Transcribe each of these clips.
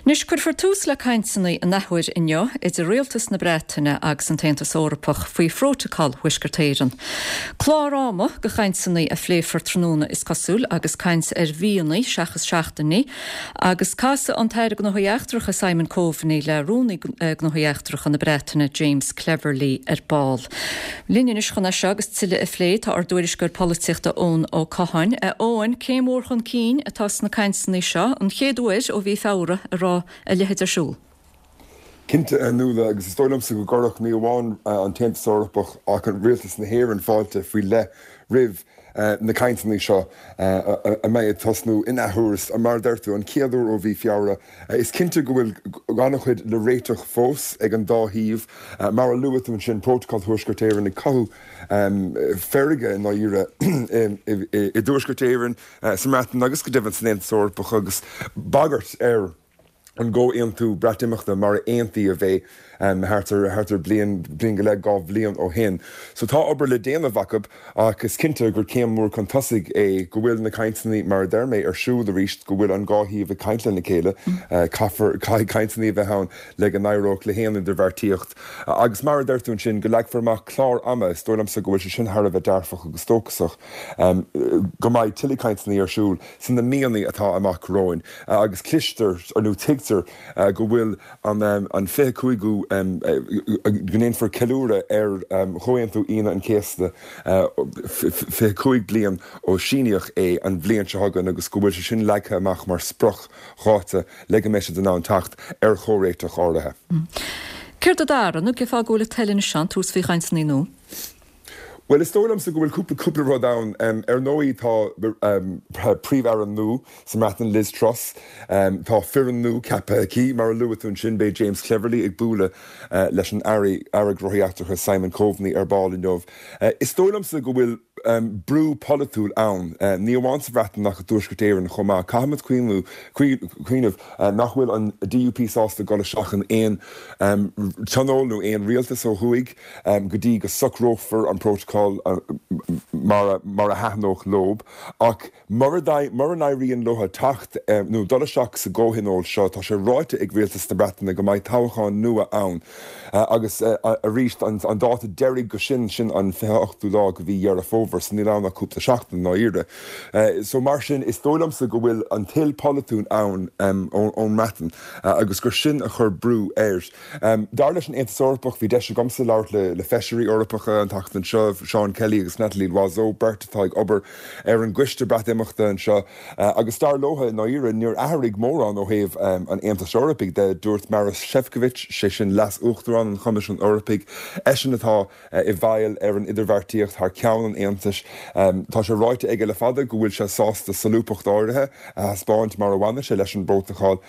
Anois, cuirfear tús le cainteanna an athuair inniu idir Rialtas na Breataine agus an tAontas Eorpach faoi Phrótacal Thuaisceart Éireann. Clár ama do chainteanna a phléifear tráthnóna is cosúil agus caint ar mhíonna seachas seachtainí agus casfaidh an tAire Gnóthaí Eachtracha Simon Coveney le Rúnaí Gnóthaí Eachtracha na Breataine James Cleverly ar ball. Linn anois chun é seo agus tuilleadh a phlé tá ár dtuairisceoir polaitíochta Eoin Ó Catháin. A Eoin, céim mhór chun cinn atá sna cainteanna seo, an chéad uair ó mhí Feabhra a raibh a leithéid ar siúl. Cinnte, a Nuala, agus is dóigh liomsa go gcuirfeadh ní amháin an tAontas Eorpach ach Rialtas na hÉireann fáilte faoi leith roimh na cainteanna seo a mbeidh ag tosnú in athuair, mar a deir tú, an chéad uair ó mhí Feabhra. Is cinnte go bhfuil an-chuid le réiteach fós ag an dá thaobh. Mar a luaigh tú ansin, Prótacal Thuaisceart Éireann ag cothú feirge i ndáiríre i dTuaisceart Éireann, sa mBreatain agus go deimhin san Aontas Eorpach agus bagairt ar an gcomhaontú Breatimeachta mar a aontaíodh é thart ar thart ar bliain, bliain go leith, 2 bhliain ó shin. So tá obair le déanamh acu ach is cinnte gur céim mhór chun tosaigh é go bhfuil na cainteanna, mar a deir mé, ar siúl arís, go bhfuil an dhá thaobh ag caint lena chéile. Caithfear, caithfidh cainteanna a bheith ann le go n-éireodh le haon idirbheartaíocht. Agus mar a deir tú ansin, go leagfar amach clár ama, is dóigh liomsa go bhfuil sé sin thar a bheith dearfach agus dóchasach go mbeidh tuilleadh cainteanna ar siúl sna míonna atá amach romhainn. Agus cloistear, nó tuigtear, go bhfuil an 25ú, go ndéanfar ceiliúradh ar Chomhaontú Aoine an Chéasta 25 bliain ó síníodh é an bhliain seo chugainn agus go bhfuil sé sin leagtha amach mar spriocdháta le go mbeidh siad in ann teacht ar chomhréiteach áirithe. Céard a d'athraigh, nó cén fáth go bhfuil an toil anois ann tabhairt faoi chainteanna nua? Bhuel, is dóigh liomsa go bhfuil cúpla cúpla rud ann. Ar ndóigh, tá Príomh-Aire nua sa mBreatain, Liz Truss. Tá foireann nua ceaptha aici. Mar a luaigh tú ansin, beidh James Cleverly ag bualadh leis an Aire Gnóthaí Eachtracha Simon Coveney ar ball inniu. Is dóigh liomsa go bhfuil brú polaitiúil ann, ní amháin sa Bhreatain ach i dTuaisceart Éireann chomh maith. Caithfimid cuimhneamh nach bhfuil an DUP sásta dul isteach in aon tionól nó aon rialtas ó thuaidh. go dtí go socrófar an prótacal mar a thaitneodh leob, ach mura n-éiríonn leo teacht nó dul isteach sa gcomhthionól seo, tá sé ráite ag Rialtas na Breataine go mbeidh toghchán nua ann agus arís an dáta deiridh go sin, sin an 28ú lá de mhí Dheireadh Fómhair, so níl ann ach cúpla seachtain i ndáiríre. So mar sin, is dóigh liomsa go bhfuil an toil pholaitiúil ann ón mBreatain agus gur sin a chuir brú air. Dar leis an Aontas Eorpach, bhí deis agamsa labhairt le feisirí Eorpacha an tseachtain seo, Seán Kelly agus Nathalie Loiseau, beirt atá ag obair ar an gcoiste Breatimeachta anseo, agus dar leo, i ndáiríre, níor athraigh mórán ó thaobh an Aontais Eorpaigh de. Dúirt Maros Sefcovic, sé sin Leas-Uachtarán an Choimisiúin Eorpaigh, eisean atá i bhfeighil ar an idirbheartaíocht thar ceann an Aontais, tá sé ráite aige le fada go bhfuil sé sásta solúbthacht áirithe a thaispeáint mar a bhaineann sé leis an bprótacal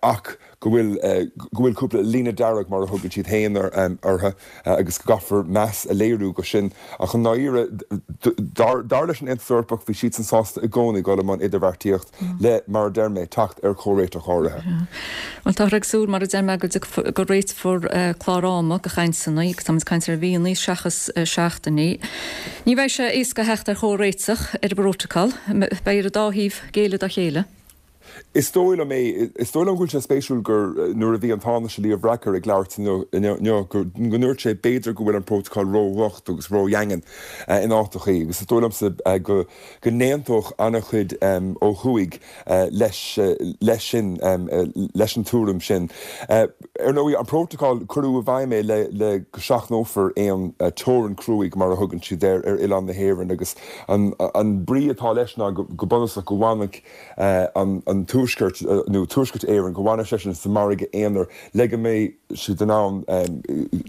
ach, go bhfuil go bhfuil cúpla líne dearg, mar a thugann siad féin orthu, agus go gcaithfear meas a léiriú go sin. Ach i ndáiríre, dar dar leis an Aontas Eorpach, bhí siadsan sásta i gcónaí dul i mbun idirbheartaíocht le, mar a deir mé, teacht ar chomhréiteach áirithe. Bhuel, táthar ag súil, mar a deir mé, go dtiocfar, go réiteofar clár ama do chainteanna, agus táimid ag caint ar mhíonna seachas seachtainí. Ní bheidh sé éasca a theacht ar chomhréiteach ar an bprótacal. Beidh ar an dá thaobh géilleadh dá chéile. Is dóigh liom é. Is dóigh liom go bhfuil sé spéisiúil gur nuair a bhí an Tánaiste Leo Varadkar ag labhairt inniu go ndúirt sé b'fhéidir go bhfuil an prótacal ródhocht agus ródhaingean in áiteachaí agus is dóigh liomsa go go n-aontódh an-chuid ó thuaidh leis leis sin leis an tuairim sin. Ar ndóigh an prótacal cuireadh i bhfeidhm é le le go seachnófar aon teorainn cruaidh mar a thugann siad air ar oileán na hÉireann agus an an brí atá leis ná go bunúsach go bhfanfadh an Tuaisceart, nó Tuaisceart Éireann, go bhfanfadh seisean sa margadh aonair le go mbeidh siad in ann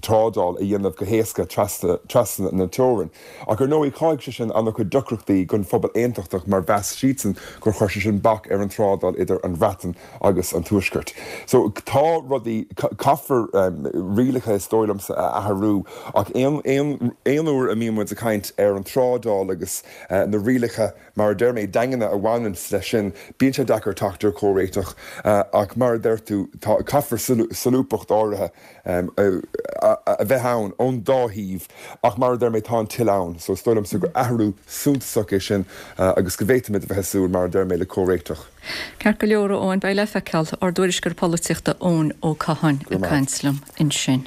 trádáil a dhéanamh go héasca trasna na teorann. Ach ar ndóigh chothaigh sé sin an-chuid deacrachtaí don phobal aontachtach mar mheas siadsan gur chuir sé sin bac ar an trádáil idir an Bhreatain agus an Tuaisceart. So tá rudaí, caithfear rialacha is dóigh liomsa a athrú ach aon uair a mbíonn muid ag caint ar an trádáil agus na rialacha, Mar a deir mé, daingne a bhaineanns leis sin, bíonn sé deacair. teacht ar chomhréiteach ach mar a deir tú, tá, caithfear solúbthacht áirithe a bheith ann ón dá thaobh ach mar a deir mé, tá an toil ann so is dóigh liomsa gur athrú suntasach é sin agus go bhféadfaimid a bheith ag súil, mar a deir mé, le comhréiteach. Ceart go leor, a Eoin, beidh le feiceáil. Ár dtuairisceoir polaitíochta Eoin Ó Catháin ag caint liom ansin.